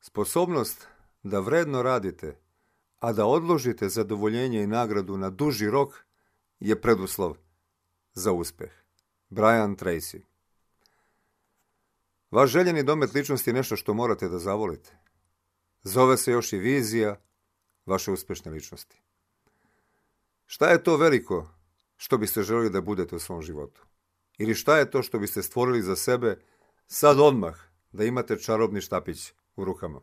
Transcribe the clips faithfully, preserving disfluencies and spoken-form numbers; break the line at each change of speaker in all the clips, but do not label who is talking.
Sposobnost da vredno radite, a da odložite zadovoljenje i nagradu na duži rok je preduslov za uspeh. Brian Tracy. Vaš željeni domet ličnosti je nešto što morate da zavolite. Zove se još i vizija vaše uspešne ličnosti. Šta je to veliko što biste želeli da budete u svom životu? Ili šta je to što biste stvorili za sebe sad odmah da imate čarobni štapić u rukama?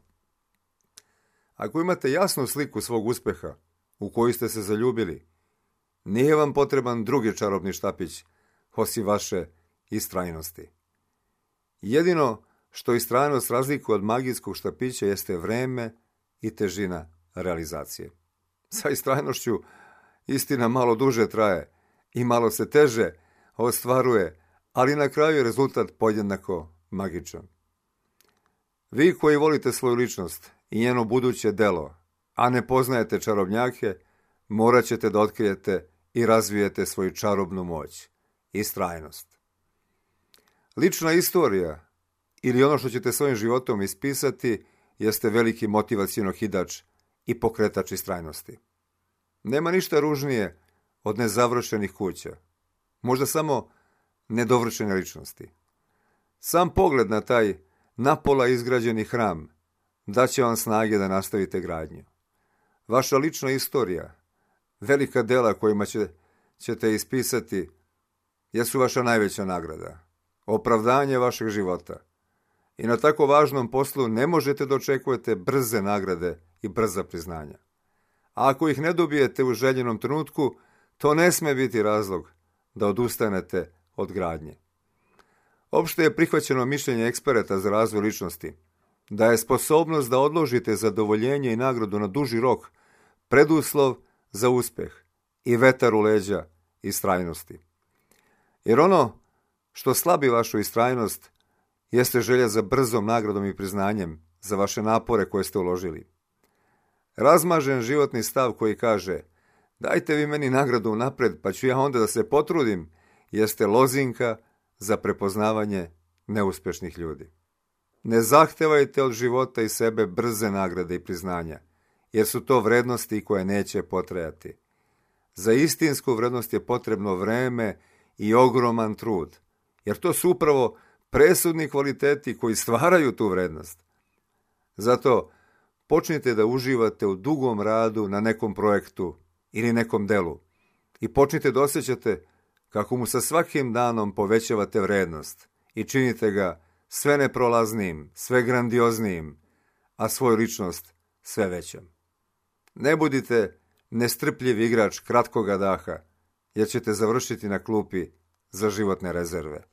Ako imate jasnu sliku svog uspeha u koju ste se zaljubili, nije vam potreban drugi čarobni štapić osim vaše istrajnosti. Jedino što istrajnost razlikuje od magijskog štapića jeste vreme i težina realizacije. Sa istrajnošću istina malo duže traje i malo se teže ostvaruje, ali na kraju je rezultat podjednako magičan. Vi koji volite svoju ličnost i njeno buduće delo, a ne poznajete čarobnjake, morat ćete da otkrijete i razvijete svoju čarobnu moć, istrajnost. Lična istorija ili ono što ćete svojim životom ispisati jeste veliki motivacioni okidač i pokretač istrajnosti. Nema ništa ružnije od nezavršenih kuća, možda samo nedovršene ličnosti. Sam pogled na taj napola izgrađeni hram daće vam snage da nastavite gradnju. Vaša lična istorija, velika dela kojima će, ćete ispisati, jesu vaša najveća nagrada, opravdanje vašeg života. I na tako važnom poslu ne možete da očekujete brze nagrade i brza priznanja. A ako ih ne dobijete u željenom trenutku, to ne sme biti razlog da odustanete od gradnje. Opšte je prihvaćeno mišljenje eksperata za razvoj ličnosti da je sposobnost da odložite zadovoljenje i nagradu na duži rok preduslov za uspeh i vetar u leđa istrajnosti. Jer ono što slabi vašu istrajnost jeste želja za brzom nagradom i priznanjem za vaše napore koje ste uložili. Razmažen životni stav koji kaže dajte vi meni nagradu napred pa ću ja onda da se potrudim, jeste lozinka za prepoznavanje neuspešnih ljudi. Ne zahtevajte od života i sebe brze nagrade i priznanja, jer su to vrednosti koje neće potrajati. Za istinsku vrednost je potrebno vreme i ogroman trud, jer to su upravo presudni kvaliteti koji stvaraju tu vrednost. Zato počnite da uživate u dugom radu na nekom projektu ili nekom delu i počnite da osjećate kako mu sa svakim danom povećavate vrednost i činite ga sve neprolaznim, sve grandioznijim, a svoju ličnost sve većom. Ne budite nestrpljiv igrač kratkoga daha, jer ćete završiti na klupi za životne rezerve.